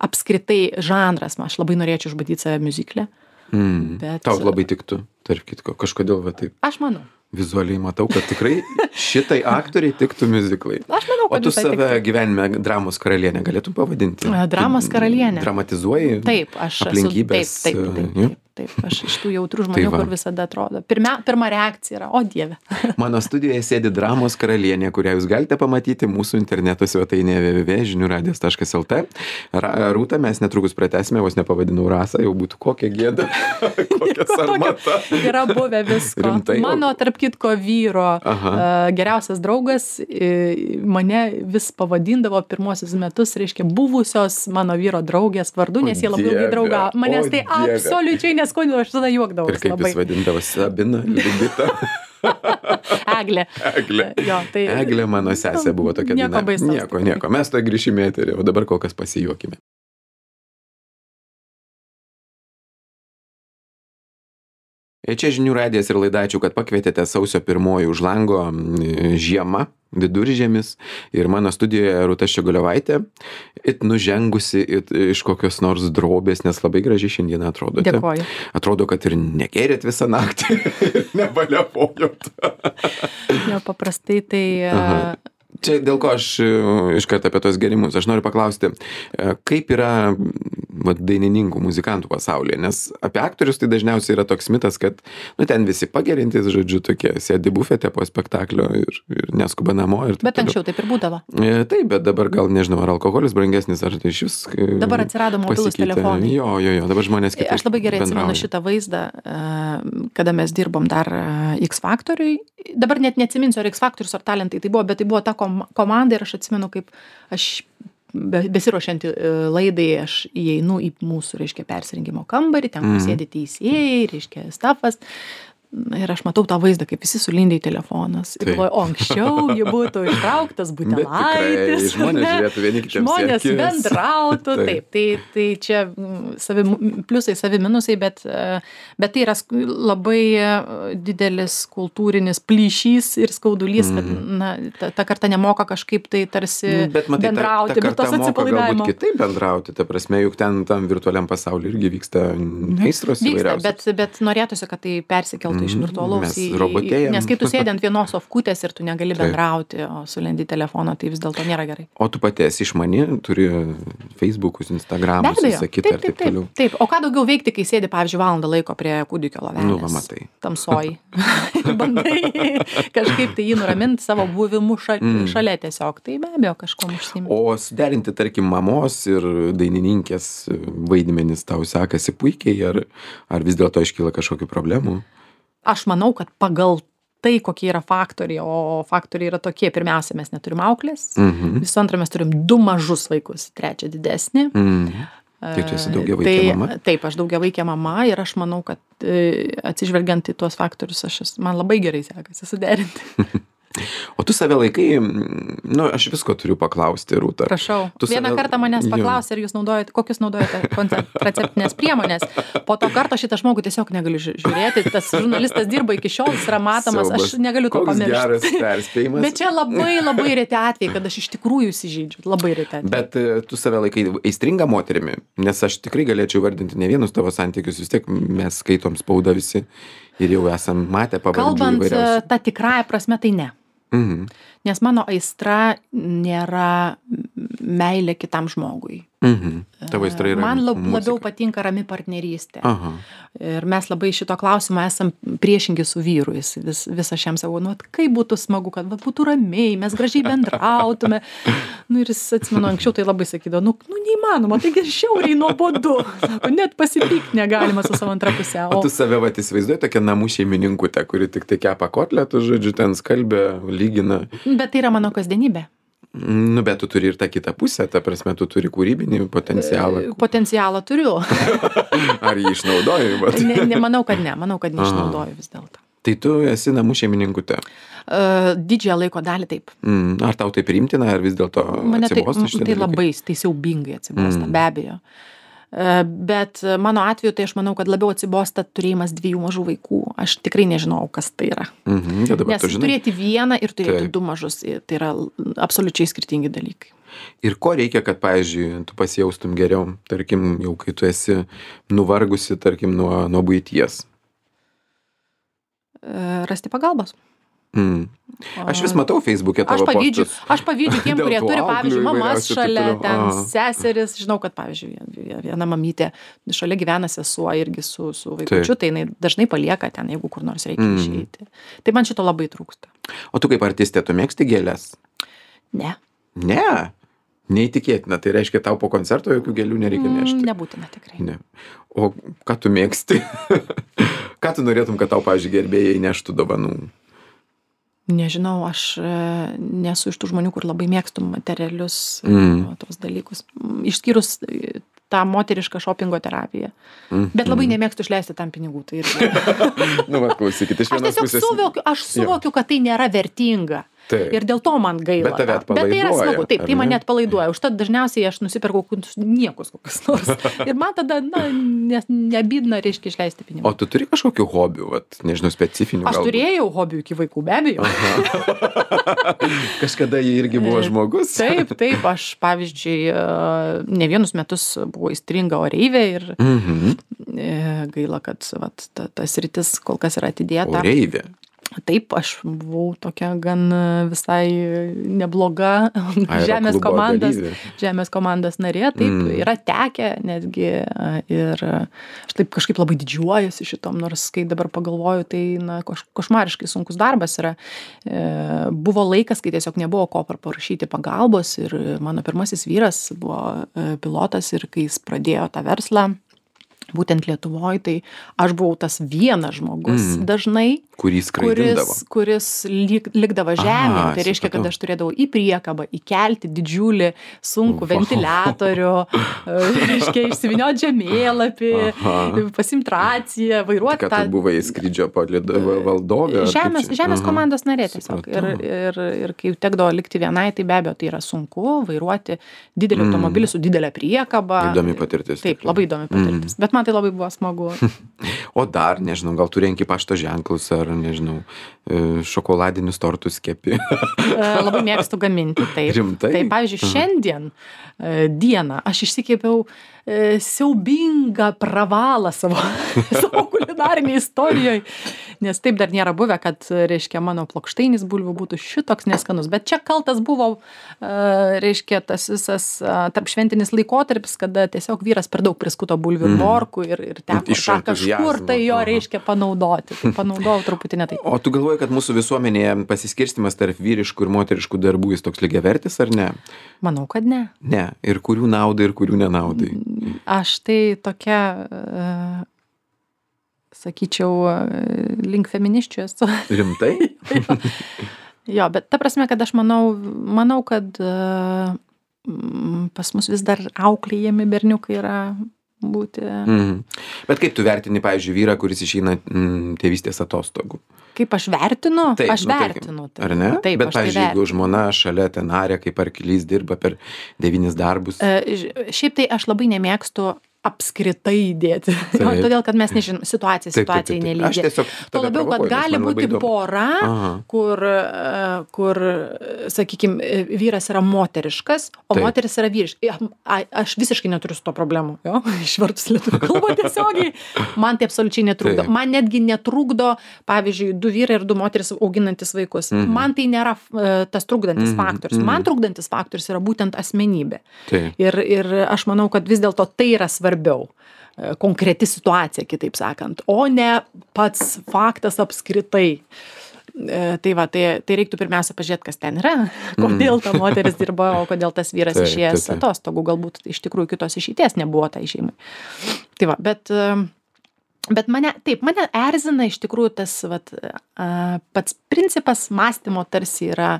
apskritai žanras. Aš labai norėčiau išbandyti save miuzikle. Mm. Bet- Tau labai tiktų, tarp kitko. Kažkodėl, va, taip Aš manau. vizualiai matau, kad tikrai šitai aktoriai tiktų miuziklai. Aš manau, O kad tu visai save tiktų. gyvenime dramos karalienė galėtum pavadinti? E, dramos Tu karalienė. Dramatizuoji Taip, aš esu. Taip, aplinkybės. taip, taip, e, jo? taip, taip. Aš iš tų jautrių Tai žmonių, va. kur visada atrodo. Pirmia, pirma reakcija yra, o Dieve. Mano studijoje sėdi dramos karalienė, kurią jūs galite pamatyti mūsų interneto svetainėje w w w taškas žiniųradijas taškas l t. Ra- Rūta, mes netrukus pratęsime, vos nepavadinau Rasą, jau būtų kokia gėda, kokia sarmata. Yra buvę visko. Rimtai? Mano, tarp kitko, vyro Aha. uh, geriausias draugas uh, mane vis pavadindavo pirmosius metus, reiškia, buvusios mano vyro draugės vardu, nes O jie labai Dieve, ilgai draugavo. Manęs o tai Dieve. absoliučiai neskaudino, aš tada Ir juokdavausi kaip labai. jis vadindavo Sabina, Liubita. Eglė. Eglė. Jo, tai, Eglė mano sesė buvo tokia Nieko daina. baisaus. Nieko, nieko. Mes to grįšime į eterį, o dabar kol kas pasijuokime. Čia žinių radijas ir laida, ačiū, kad pakvietėte sausio pirmoji už lango m, žiema, viduržiemis ir mano studijoje Rūta Ščiogolevaitė, it nužengusi it, iš kokios nors drobės, nes labai gražiai šiandien atrodote. Dėkoju. Atrodo, kad ir negerėt visą naktį, nebaliapojot. Jo, paprastai tai... Aha. Čia dėl ko aš e, iškart apie tos gerimus. Aš noriu paklausti, e, kaip yra va, dainininkų, muzikantų pasaulyje, nes apie aktorius tai dažniausiai yra toks mitas, kad nu, ten visi pagerintis, žodžiu, tokie sėdi bufete po spektaklio ir, ir neskuba namo. Ir taip Bet anksčiau taip ir būdavo. toliau. E, taip, bet dabar gal nežinau, ar alkoholis brangesnis, ar tai iš vis. e, Dabar atsirado mobilūs pasikeitė. telefonai. Jo, jo, jo, dabar žmonės kitaip Aš labai gerai atsimenu bendrauja. šitą vaizdą, e, kada mes dirbom dar e, X Faktoriui. Dabar net neatsiminsiu, ar X Faktorius, ar talentai tai buvo, bet tai buvo ta kom komanda ir aš atsimenu, kaip aš be, besiruošiant e, laidai, aš įeinu į mūsų, reiškia, persirinkimo kambarį, ten Mhm. sėdi teisėjai, reiškia, stafas. Ir aš matau tą vaizdą, kaip visi sulindė į telefonas. Ir Taip. galvoju, o anksčiau ji būtų ištrauktas Bet tikrai, butelaitis. žmonės ne? žiūrėtų vieni kitiems į Žmonės akis. bendrautų, Taip. taip. Tai, tai čia mm, savi pliusai, savi minusai, bet, e, bet tai yra sk- labai e, didelis kultūrinis plyšys ir skaudulys, kad na, ta, ta karta nemoka kažkaip tai tarsi Bet matai, bendrauti, ta, ta bet tos karta moka galbūt atsipalaidavimo. kitaip bendrauti, ta prasme, juk ten tam virtualiam pasauliu irgi vyksta aistros Vyksta, įvairiausios. bet, bet norėtųsi, kad tai persikeltų iš Mhm, virtualaus mes į... robotėjam. Nes kai tu sėdi ant vienos ofkutės ir tu negali Taip. bendrauti, o sulendi telefoną, tai vis dėlto nėra gerai. O tu pati esi išmani, turi Facebookus, Instagramus, Be abejo. visą kitą ir Taip, taip, taip toliau. taip, taip. O ką daugiau veikti, kai sėdi, pavyzdžiui, valandą laiko prie kūdikio lovelės? Nu, va, matai. Tamsoj. Bandai kažkaip tai jį nuraminti savo buvimu ša, Mm. šalia tiesiog. Tai be abejo kažkom užsiimti. O suderinti, tarkim, mamos ir dainininkės vaidmenis tau sekasi puikiai, ar, ar vis dėlto iškyla kažkokių problemų? Aš manau, kad pagal tai, kokie yra faktoriai, o faktoriai yra tokie, pirmiausia, mes neturim auklės, Mhm. visų antra, mes turim du mažus vaikus, trečią didesnį. Mm. Tai tu esi daugiavaikė Tai- mama? Taip, aš daugiavaikė mama ir aš manau, kad e, atsižvelgiant į tuos faktorius, aš, esu- man labai gerai sekasi suderinti. O tu save laikai, nu, aš visko turiu paklausti, Rūta. Prašau. Tu Vieną save- kartą manęs Jo. paklausė, ar jūs naudojate, kokius naudojate kontraceptinės priemonės. Po to karto šitą žmogų tiesiog negaliu ži- žiūrėti. Tas žurnalistas dirba iki šiol, jis yra matomas, Siaubas. aš negaliu to Koks geras pamiršti. perspėjimas. Bet čia labai, labai reti atvejai, kad aš iš tikrųjų įsižeidžiu. Labai reti atvejai. Bet e, tu save laikai aistringa moterimi, nes aš tikrai galėčiau vardinti ne vienus tavo santykius, vis tiek mes skaitom spaudą visi ir jau esam matę pavardžių Kalbant įvairiausių. tą tikrąją prasme, tai ne. Mhm. Nes mano aistra nėra meilė kitam žmogui. Mhm. Tavo aistra yra Man lab, muzika. labiau patinka rami partnerystė. Aha. Ir mes labai šito klausimo esam priešingi su vyru. Jis vis, visą šiam savo, nu, vat kaip būtų smagu, kad va, būtų ramiai, mes gražiai bendrautume. Nu, ir jis, atsimenu, anksčiau tai labai sakydavo, nu, nu neįmanoma, taigi žiauriai nuobodu. Sako, net pasipykt negalima su savo antra pusė. O tu save vat įsivaizduoji tokią namų šeimininkutę, kuri tik tai kepa kotletų, žodžiu, ten skalbia, lygina. Bet tai yra mano kasdienybė. Nu, bet tu turi ir tą kitą pusę, ta prasme, tu turi kūrybinį potencialą. Potencialą turiu. Ar jį išnaudoji? vat? Ne, ne, manau, kad ne. Manau, kad neišnaudoju vis dėlto. Tai tu esi namų šeimininkutė. Uh, didžiąją laiko dalį taip. Mm, ar tau tai priimtina, ar vis dėlto Mane tai, atsibosta šitie tai dalykai? labai, tai siaubingai atsibosta, mm. be abejo. Uh, bet mano atveju tai aš manau, kad labiau atsibosta turėjimas dviejų mažų vaikų. Aš tikrai nežinau, kas tai yra. Mhm, tai dabar Nes tu žinai. turėti vieną ir turėti Taip. du mažus, tai yra absoliučiai skirtingi dalykai. Ir ko reikia, kad, pavyzdžiui, tu pasijaustum geriau, tarkim, jau kai tu esi nuvargusi, tarkim, nuo, nuo buities. Uh, rasti pagalbos. Mm. Aš vis matau Facebook'e tavo Aš pavydžiu, postus. aš pavydžiu tiem, Dėl kurie tų turi, auklių pavyzdžiui, mamas įvairiausių ir taip šalia, toliau. ten Aha. seseris. Žinau, kad, pavyzdžiui, vien- viena mamytė šalia gyvena sesuo irgi su, su vaikučiu, tai jinai dažnai palieka ten, jeigu kur nors reikia Mm. išeiti. Tai man šito labai trūksta. O tu kaip artistė, tu mėgsti gėlės? Ne, Ne. Neįtikėtina. Tai reiškia, tau po koncerto jokių gėlių nereikia nešti. Mm, nebūtina tikrai. Ne. O ką tu mėgsti? Ką tu norėtum, kad tau, pavyzdžiui, gerbėjai neštų dovanų? Nežinau, aš e, nesu iš tų žmonių, kur labai mėgstu materialius Mm. mm. tos dalykus. Mm, Išskyrus e, tą moterišką šopingo terapiją. Mm. Bet labai nemėgstu išleisti tam pinigų. Tai irgi. Nu, va, klausykit, iš Aš vienos tiesiog pusės. suvokiu, aš suvokiu, kad tai nėra vertinga. Taip. Ir dėl to man gaila. Bet tave tą. Bet tai yra atpalaiduoja, smagu. Taip, ar tai ne? mane atpalaiduoja. Užtat dažniausiai aš nusipirkau kokius niekus kokius nors. Ir man tada, na, nes nebydna, reiškia, išleisti pinigų. O tu turi kažkokių hobių, vat, nežinau, specifinių? Aš galbūt? turėjau hobių iki vaikų, be abejo. Kažkada jie irgi buvo žmogus? Taip, taip, aš, pavyzdžiui, e, ne vienus metus buvau įstringa oreivė ir Mhm. e, gaila, kad vat, ta, tas rytis kol kas yra atidėta. Oreivė. Taip, aš buvau tokia gan e, visai nebloga žemės Aeroklubo komandos, dalyvė. žemės komandos narė, taip, Mm. yra tekę netgi e, ir e, aš taip kažkaip labai didžiuojuosi šitom, nors kai dabar pagalvoju, tai na, koš, košmariškai sunkus darbas yra. E, buvo laikas, kai tiesiog nebuvo ko parašyti pagalbos ir mano pirmasis vyras buvo e, pilotas ir kai jis pradėjo tą verslą, būtent Lietuvoje, tai aš buvau tas vienas žmogus Mm. dažnai, Kurį skraidindavo. kuris, kuris lyg, likdavo žemėje. Aha, Tai reiškia, kad supratau. aš turėdavau į priekabą įkelti didžiulį sunkų Vau. ventiliatorių, e, reiškia, išsivinioti žemėlapį, Aha. pasimti raciją, vairuoti Kad tu buvai skrydžio palidovė valdovė? ar kaip Žemės, čia? žemės Aha. komandos narė tiesiog. Ir, Supratau. ir, ir kai tekdavo likti vienai, tai be abejo tai yra sunku vairuoti didelį Mm. automobilį su didelė priekaba. Įdomi patirtis. Taip, tikrai. labai įdomi patirtis. Bet man tai labai buvo smagu. O dar, nežinau, gal tu renki pašto ženklus ar, nežinau, e, šokoladinius tortus kepi. E, Labai mėgstu gaminti. Taip. Rimtai? Tai, pavyzdžiui, šiandien e, dieną aš išsikėpiau e, siaubingą pravalą savo, savo kulinarinėje istorijoje. Nes taip dar nėra buvę, kad, reiškia, mano plokštainis bulvių būtų šitoks neskanus. Bet čia kaltas buvo, e, reiškia, tas visas e, tarpšventinis laikotarpis, kada tiesiog vyras per daug priskuto bulvių ir Mm. morkų ir, ir teko Iš tą kažkur tai jo, entuziazmo, aha. reiškia, panaudoti. Tai panaudojau truputį ne taip. O tu galvoji, kad mūsų visuomenėje pasiskirstimas tarp vyriškų ir moteriškų darbų jis toks lygiavertis ar ne? Manau, kad ne. Ne. Ir kurių naudai, ir kurių nenaudai. Aš tai tokia, e, sakyčiau, e, link feministių esu. Rimtai? Jo, bet ta prasme, kad aš manau, manau kad e, m, pas mus vis dar auklėjami berniukai yra būti. Mhm. Bet kaip tu vertini, pavyzdžiui, vyrą, kuris išeina mm, tėvystės atostogų? Kaip aš vertinu? Taip, aš nu, vertinu. Tarkim, ar ne? Taip, Bet, pavyzdžiui, jeigu žmona šalia ten arė, kaip arklys dirba per devynis darbus. E, šiaip tai aš labai nemėgstu apskritai dėti. Todėl, kad mes nežinom, situacija situacijai nelygi. Tuo labiau, kad gali būti pora, kur, kur, sakykime, vyras yra moteriškas, o taip. Moteris yra vyriškas. Aš visiškai neturiu su to problemų. Jo? Išvertus lietuvių kalbą tiesiogiai. Man tai absoliučiai netrukdo. Taip. Man netgi netrukdo, pavyzdžiui, du vyrai ir du moteris auginantis vaikus. Mhm. Man tai nėra tas trukdantis mhm. faktorius. Man trukdantis faktorius yra būtent asmenybė. Ir, ir aš manau, kad vis dėlto tai yra svarbu. Svarbiau, konkreti situacija, kitaip sakant, o ne pats faktas apskritai. Tai va, tai, tai reiktų pirmiausia pažiūrėti, kas ten yra, kodėl ta moteris dirba, o kodėl tas vyras taip, išėjęs taip, taip. Atostogų, galbūt iš tikrųjų kitos išeities nebuvo tai šeimai. Tai va, bet, bet mane, taip, mane erzina iš tikrųjų tas vat, pats principas mąstymo tarsi yra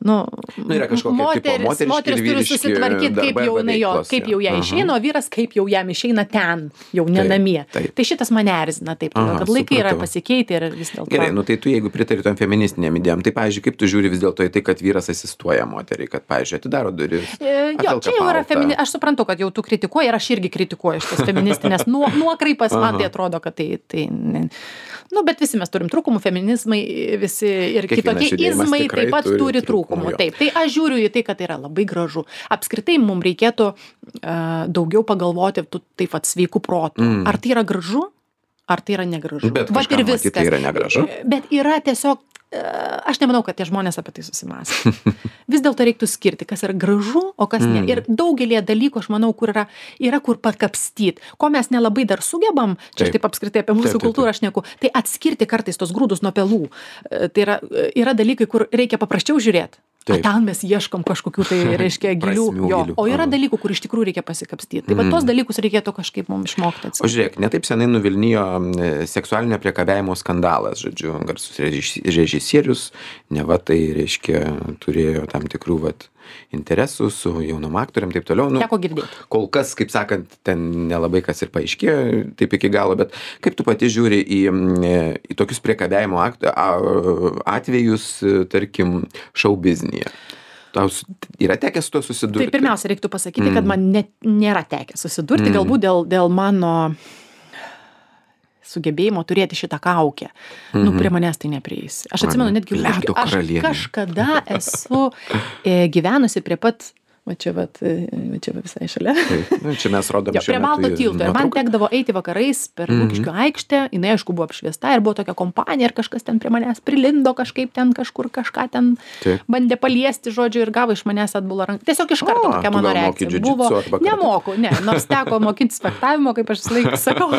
Nu, nu, yra kažkokia moteris, tipo, moteris turi susitvarkyti, kaip jau, na, jo, kaip jau ją išeina, o vyras kaip jau jam išeina ten, jau ne namie. Taip, taip. Tai šitas mane erzina, taip, Aha, kad laikai supratau. Yra pasikeitę ir vis dėlto. Gerai, nu tai tu jeigu pritari tom feministinėm idėjom, tai, pavyzdžiui, kaip tu žiūri vis dėlto į tai, kad vyras asistuoja moteriai, kad, pavyzdžiui, atidaro duris. E, jo, čia jau yra femini... Aš suprantu, kad jau tu kritikuoji ir aš irgi kritikuoju šitas feministinės nu, nuokreipas, man tai atrodo, kad tai... tai ne... Nu, bet visi mes turim trūkumų, feminizmai, visi ir Kiekvienas kitokie izmai taip pat turi, turi trūkumų. Taip, tai aš žiūriu į tai, kad tai yra labai gražu. Apskritai mums reikėtų uh, daugiau pagalvoti taip pat sveikų protų. Mm. Ar tai yra gražu, ar tai yra negražu. Bet kažkam ir viskas. Tai yra negražu. Bet yra tiesiog, uh, aš nemanau, kad tie žmonės apie tai susimąsto. Vis dėlto reiktų skirti, kas yra gražu, o kas ne. Mm. Ir daugelį dalykų, aš manau, kur yra, yra kur pakapstyt. Ko mes nelabai dar sugebam, čia aš taip apskritai apie mūsų taip, kultūrą aš neku, tai atskirti kartais tos grūdus nuo pelų. Tai yra, yra dalykai, kur reikia paprasčiau žiūrėti. O ten mes ieškom kažkokių tai, reiškia, gilių, jo. O yra dalykų, kur iš tikrųjų reikia pasikapstyti. Tai va tos dalykus reikėtų kažkaip mums išmokti atskirti. O žiūrėk, netaip senai nuvilnijo seksualinio priekabiavimo skandalas, žodžiu, garsus režisierius, neva tai, reiškia, turėjo tam tikrų, vat, interesų su jaunom aktoriam, taip toliau. Nu, teko girdėti. Kol kas, kaip sakant, ten nelabai kas ir paaiškėjo taip iki galo, bet kaip tu pati žiūri į, į tokius priekabiavimo atvejus, tarkim, šou biznyje? Tau yra tekę su to susidurti? Tai pirmiausia, reiktų pasakyti, kad man net nėra tekę susidurti, mm. galbūt dėl, dėl mano sugebėjimo turėti šitą kaukę. Mm-hmm. Nu, prie manęs tai neprieis. Aš atsimenu, netgi aš kažkada esu e, gyvenusi prie pat va čia vat, va čia va visai šalia. Taip, nu, čia mes rodom jo, prie Balto tilto. Ir man tekdavo eiti vakarais per mm-hmm. Lukiškių aikštę, jinai aišku buvo apšviesta ir buvo tokia kompanija ir kažkas ten prie manęs prilindo kažkaip ten kažkur kažką ten Taip. Bandė paliesti, žodžiu, ir gavo iš manęs atbulą ranką. Tiesiog iš karto o, tokia mano reakcija buvo. Nemoku, ne, nors teko mokinti spektavimo, kaip aš visą laiką sakau.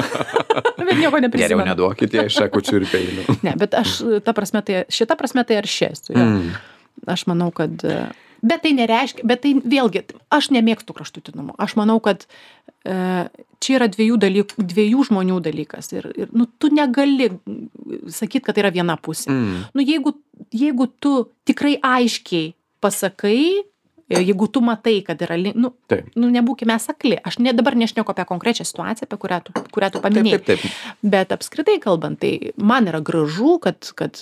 Bet nieko neprisimenu. Geriau neduokite iš šakučių ir peilių. Ne, bet aš, ta prasme, tai, šita prasme tai aršėsiu. Mm. Aš manau, kad Bet tai nereiškia, bet tai vėlgi, aš nemėgstu kraštutinumų. Aš manau, kad e, čia yra dviejų, dalykų, dviejų žmonių dalykas. Ir, ir nu, tu negali sakyti, kad tai yra viena pusė. Mm. Nu, jeigu, jeigu tu tikrai aiškiai pasakai, jeigu tu matai, kad yra, nu, nu nebūkime sakli. Aš ne, dabar nešneku apie konkrečią situaciją, apie kurią tu, kurią tu paminėjai. Taip, taip, taip. Bet apskritai kalbant, tai man yra gražu, kad, kad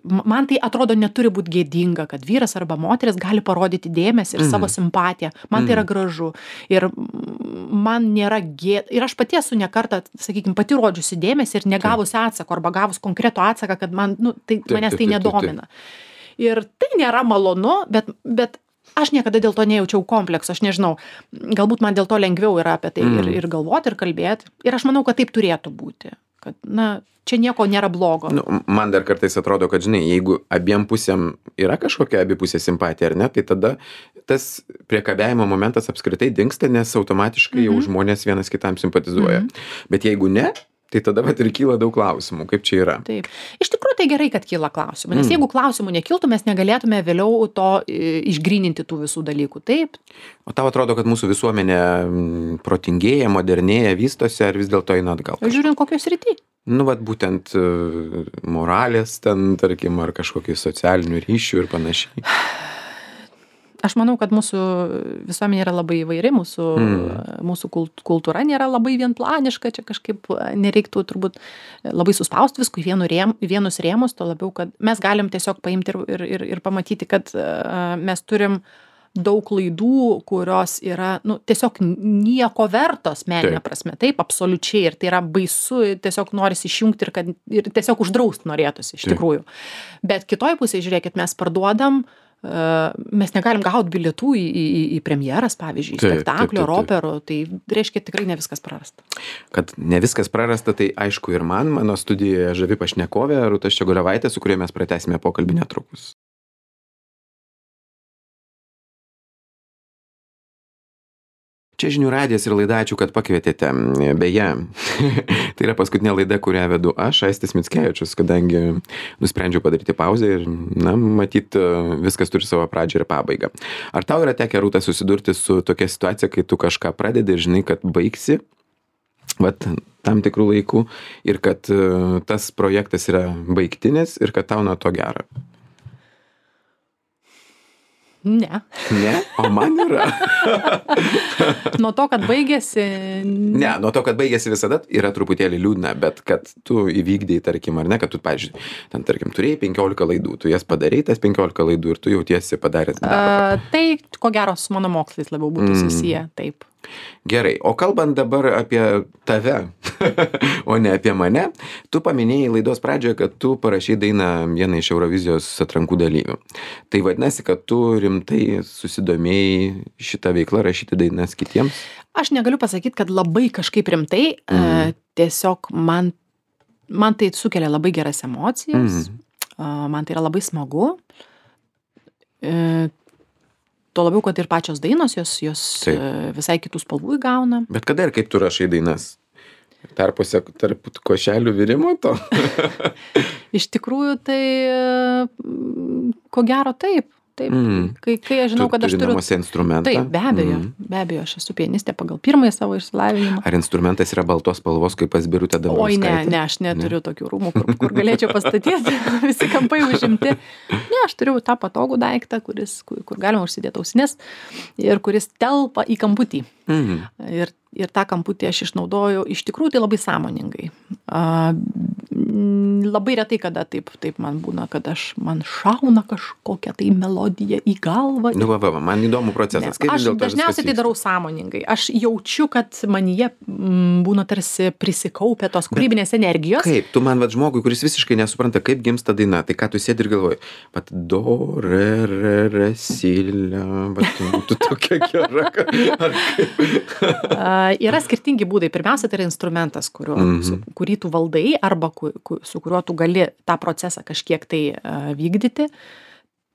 man tai atrodo neturi būti gėdinga, kad vyras arba moteris gali parodyti dėmesį ir mm. savo simpatiją. Man mm. tai yra gražu. Ir man nėra gėda. Ir aš pati esu ne kartą, sakykime, pati rodžiusi dėmesį ir negavusi atsako, arba gavus konkretų atsaką, kad man, nu, tai, taip, manęs tai taip, nedomina. Taip, taip. Ir tai nėra malonu, bet, bet aš niekada dėl to nejaučiau komplekso, aš nežinau, galbūt man dėl to lengviau yra apie tai mm. ir, ir galvoti, ir kalbėti. Ir aš manau, kad taip turėtų būti. Kad, na, čia nieko nėra blogo. Nu, man dar kartais atrodo, kad, žinai, jeigu abiem pusėm yra kažkokia abipusė simpatija, ar ne, tai tada tas priekabiavimo momentas apskritai dingsta, nes automatiškai mm-hmm. jau žmonės vienas kitam simpatizuoja. Mm-hmm. Bet jeigu ne, tai tada vat ir kyla daug klausimų, kaip čia yra. Taip. Iš tikrųjų tai gerai, kad kyla klausimų, nes mm. jeigu klausimų nekiltų, mes negalėtume vėliau to išgryninti tų visų dalykų. Taip. O tau atrodo, kad mūsų visuomenė protingėja, modernėja, vystosi, ar vis dėlto eina atgal? Žiūrint, kokios rytį. Nu, vat būtent moralės ten, tarkim, ar kažkokių socialinių ryšių ir panašiai. aš manau, kad mūsų visuomenė yra labai įvairi, mūsų, Mm. mūsų kult- kultūra nėra labai vienplaniška, čia kažkaip nereiktų turbūt labai suspausti viskų į vienu rėm, į vienus rėmus, to labiau, kad mes galim tiesiog paimti ir, ir, ir, ir pamatyti, kad uh, mes turim daug klaidų, kurios yra, nu, tiesiog nieko vertos meninė Taip. prasme. Taip, absoliučiai. Ir tai yra baisu, tiesiog norisi išjungti ir, kad, ir tiesiog uždrausti norėtųsi, iš Taip. tikrųjų. Bet kitoj pusėje, žiūrėkit, mes parduodam, uh, mes negalim gauti bilietų į, į, į premjeras, pavyzdžiui, Taip, spektaklio, taip, taip, taip. operų. Tai reiškia tikrai ne viskas prarasta. Kad ne viskas prarasta, tai aišku ir man, mano studijoje žavi pašnekovė Rūta Ščiogolevaitė, su kuria mes pratęsime pokalbį netrukus. Čia žinių radijas ir laida, ačiū, kad pakvietėte. Beje, tai yra paskutinė laida, kurią vedu aš, Aistis Mickevičius, kadangi nusprendžiau padaryti pauzę ir, na, matyt, viskas turi savo pradžią ir pabaigą. Ar tau yra tekę, Rūta, susidurti su tokia situacija, kai tu kažką pradedi ir žinai, kad baigsi, vat, tam tikrų laikų ir kad uh, tas projektas yra baigtinis ir kad tau nuo to gera? Ne. Ne? O man yra. Nuo to, kad baigėsi. Ne, nuo to, kad baigėsi visada yra truputėlį liūdna, bet kad tu įvykdėjai, tarkim, ar ne, kad tu, pavyzdžiui, ten, tarkim, turėjai penkiolika laidų, tu jas padarei, tas penkiolika laidų ir tu jautiesi padaręs darbą. Uh, tai, ko gero, su mano mokslais labiau būtų Mm. susiję, taip. Gerai, o kalbant dabar apie tave, o ne apie mane, tu paminėjai laidos pradžioje, kad tu parašei dainą vieną iš Eurovizijos atrankų dalyvių. Tai vadinasi, kad tu rimtai susidomėjai šitą veiklą rašyti dainas kitiems? Aš negaliu pasakyti, kad labai kažkaip rimtai, Mm. uh, tiesiog man, man tai sukelia labai geras emocijas, Mm. uh, man tai yra labai smagu. Uh, Tuo labiau, kad ir pačios dainos, jos, jos Taip. uh, visai kitų spalvų įgauna. Bet kada ir kaip tu rašai dainas? Tarpuose tarp košelių virimo to? Iš tikrųjų, tai uh, ko gero taip. Taip. Mm. Kai, kai aš žinau, Tu kad aš turi turiu... namuose instrumentą? Taip, be abejo, Mm. be abejo, aš esu pianistė pagal pirmąjį savo išsilavinimą. Ar instrumentas yra baltos spalvos, kaip pas Birutę Oi, Dambrauskaitę? ne, ne, aš neturiu tokių rūmų, kur, kur galėčiau pastatyti, visi kampai užimti. Ne, aš turiu tą patogų daiktą, kuris, kur, kur galima užsidėti ausines ir kuris telpa į kamputį. Mm. Ir, ir tą kamputį aš išnaudoju, iš tikrųjų tai labai sąmoningai. A, m, labai retai, kada taip, taip man būna, kad aš, man šauna kažkokia tai melodija į galvą. Nu, va, va, va, man įdomu Ne, procesas. Kaip vis aš dėlto viskas dažniausiai tai vyksta? darau sąmoningai. Aš jaučiu, kad manyje mm, būna tarsi prisikaupę tos kūrybinės energijos. Kaip? Tu man, va, žmogui, kuris visiškai nesupranta, kaip gimsta daina, tai ką tu sėdi ir galvoji, pat do, re, re, re, silė, va, tu, tu tokia gera, kad- ar kaip? A, yra skirtingi būdai. Pirmiausia, tai yra instrumentas, kuriuo, Mhm. su, kurį tu valdai arba ku, ku, su kuriuo tu gali tą procesą kažkiek tai a, vykdyti.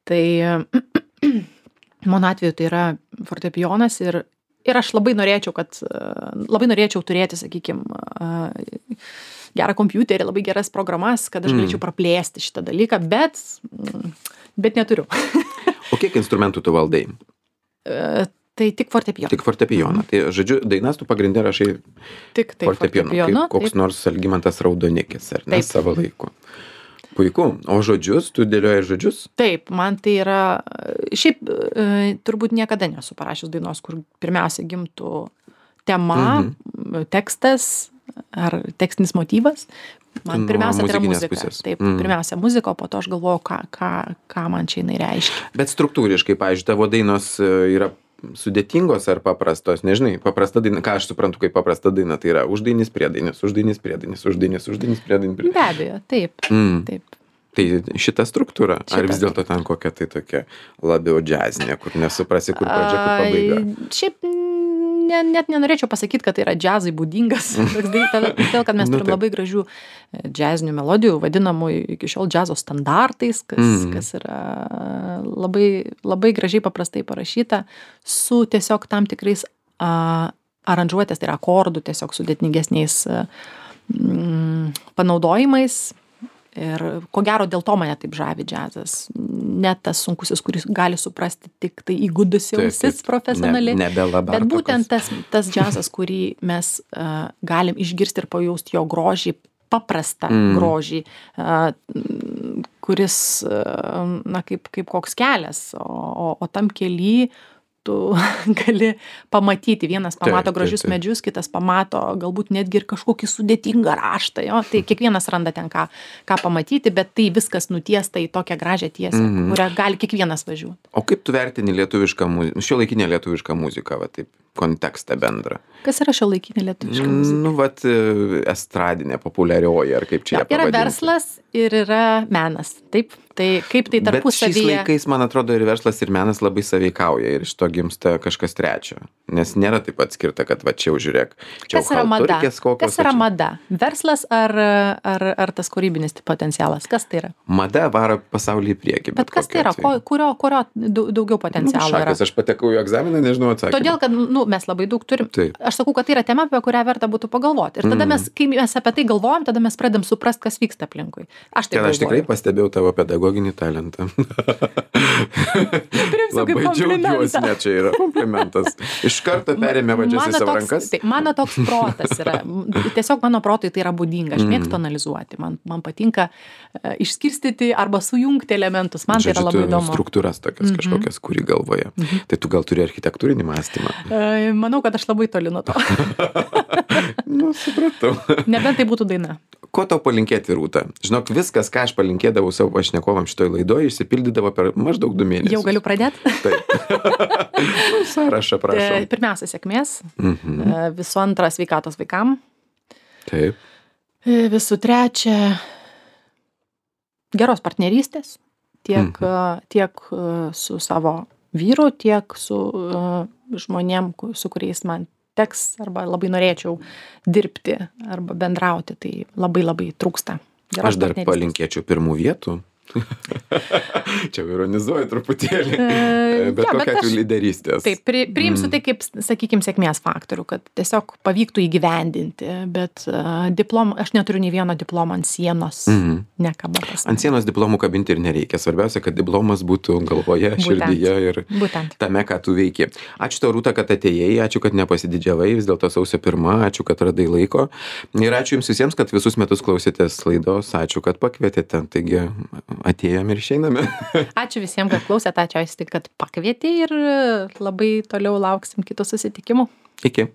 Tai mano atveju tai yra fortepijonas ir, ir aš labai norėčiau, kad a, labai norėčiau turėti, sakykime, gerą kompiuterį, labai geras programas, kad aš Mm. galėčiau praplėsti šitą dalyką, bet, mm, bet neturiu. O kiek instrumentų tu valdai? E, Tai tik fortepijonas. Tik fortepijoną. Tai, žodžiu, dainas tu pagrindė rašai Tik tai fortepijonu, fortepijonu. kaip koks taip. nors Algimantas Raudonikis, ar ne, Taip. savo laiku. Puiku. O žodžius, tu dėlioji žodžius? Taip, man tai yra, šiaip e, turbūt niekada nesu parašęs dainos, kur pirmiausia gimtų tema, Mhm. tekstas ar tekstinis motyvas. Man Nuo pirmiausia tai yra muzikinės muzika. pusės. Taip, Mhm. pirmiausia muzika, o po to aš galvoju, ką, ką, ką man čia jinai reiškia. Bet struktūriškai, pavyzdžiui, tavo dainos e, yra sudėtingos ar paprastos, nežinai, paprasta daina, ką aš suprantu kaip paprasta daina, tai yra uždainis, priedainis, uždainis, priedainis, uždainis, uždainis, priedainis. Be abejo, taip, Mm. taip. Tai šita struktūra, ar Šita vis dėlto ten kokia tai tokia labiau džiazinė, kur nesuprasi, kur pradžia, kur pabaiga? Ai, Šiaip ne, net nenorėčiau pasakyti, kad tai yra džiazai būdingas. toks dalykas, Todėl, kad mes Nu, turim taip. labai gražių e, džiazinių melodijų, vadinamų iki šiol džiazo standartais, kas, Mhm. kas yra labai, labai gražiai paprastai parašyta, su tiesiog tam tikrais a, aranžuotės, tai yra akordų, tiesiog sudėtingesniais a, mm, panaudojimais. Ir ko gero dėl to mane taip žavi džiazas. Ne tas sunkusis, kuris gali suprasti tik tai įgudusi Taip, ausis taip. profesionaliai. Ne- nebe Bet Labartokos. būtent tas, tas džiazas, kurį mes uh, galim išgirsti ir pajausti jo grožį, paprastą Mm. grožį, uh, kuris, na, kaip, kaip koks kelias, o, o, o tam kely tu gali pamatyti, vienas pamato Taip, gražius taip, taip. medžius, kitas pamato galbūt netgi ir kažkokį sudėtingą raštą, jo, tai kiekvienas randa ten ką, ką pamatyti, bet tai viskas nutiesta į tokią gražią tiesę, Mhm. kurią gali kiekvienas važiuoti. O kaip tu vertini lietuvišką muziką, šiuolaikinę lietuvišką muziką, va taip, kontekstą bendrą? Kas yra šiuolaikinė lietuviška muzika? Nu, vat, e, estradinė, populiarioji, ar kaip čia ją Yra pavadinti? verslas ir yra menas, taip? Tai kaip tai Bet šiais tarpusavyje... laikais, man atrodo, ir verslas, ir menas labai sąveikauja ir iš to gimsta kažkas trečio. Nes nėra taip atskirta, kad va čia jau žiūrėk, čia Kas yra mada? chalturkės kokios. Kas yra o čia- mada? Verslas ar, ar, ar tas kūrybinis potencialas? Kas tai yra? Mada varo pasaulį į priekį. Bet kas tai kokiu yra? Ko, atveju. kurio, kurio dau- daugiau Nu, potencialo yra? šakas, aš patekau į egzaminą, nežinau atsakymą. Todėl, kad nu, mes labai daug turim. Taip. Aš sakau, kad tai yra tema, apie kurią verta būtų pagalvoti. Ir tada Mm. mes, kai mes apie tai galvojam, tada mes pradedam suprast, kas vyksta aplinkui. Aš taip Ten aš tikrai galvoju. pastebėjau tavo pedagoginį talentą. Priimsiu kaip Labai džiaugiuosi, komplimentą. ne, čia yra komplimentas. Iš karto perėmė vadžias į Mano savo toks- rankas. Tai, mano toks protas yra. Tiesiog mano protui tai yra būdinga. Aš Mm. mėgstu analizuoti. Man, man patinka e, išskirstyti arba sujungti elementus. Man tai yra Žodžiu, labai tu įdomu. struktūras tokias Mhm. kažkokias, kurį galvoje. Tai tu gal turi architektūrinį mąstymą. E, Manau, kad aš labai toli nuo to. Nu, supratau. Nebent tai būtų daina. Ko tau palinkėti, Rūta? Žinok, viskas, ką aš palinkėdavau savo pašnekovam šitoj laidoje, išsipildydavo per maždaug du mėnesius. Jau galiu pradėti. Taip. Nu, sąrašą, prašom. Pirmiausia, sėkmės. Mhm. E, Visų antra, sveikatos vaikam. Taip. E, Visų trečia, geros partnerystės. Tiek, Mhm. e, tiek e, su savo vyru, tiek su e, žmonėm, ku- su kuriais man teks arba labai norėčiau dirbti arba bendrauti. Tai labai labai trūksta. Geros Aš dar partnerystės. palinkėčiau pirmų vietų. Čia ironizuoju truputėlį. E, Bet jo, bet kokia aš- atveju lyderystės. Taip, pri, priimsiu Mm. tai kaip, sakykime, sėkmės faktorių, kad tiesiog pavyktų įgyvendinti, bet uh, diplom, aš neturiu nei vieno diplomo ant sienos, Mhm. nekaba pas Ant sienos diplomų kabinti ir nereikia. Svarbiausia, kad diplomas būtų galvoje, Būtent. širdyje ir Būtent. tame, ką tu veiki. Ačiū tau, Rūta, kad atėjai, ačiū, kad nepasididžiavai, vis dėlto sausio pirma, ačiū, kad radai laiko. Ir ačiū jums visiems, kad visus metus klausėtės laidos, ačiū, kad pakvietėte. Taigi atėjom ir išeiname. Ačiū visiems, kad klausėte, ačiū, Aisti, kad pakvietė ir labai toliau lauksim kitų susitikimų. Iki.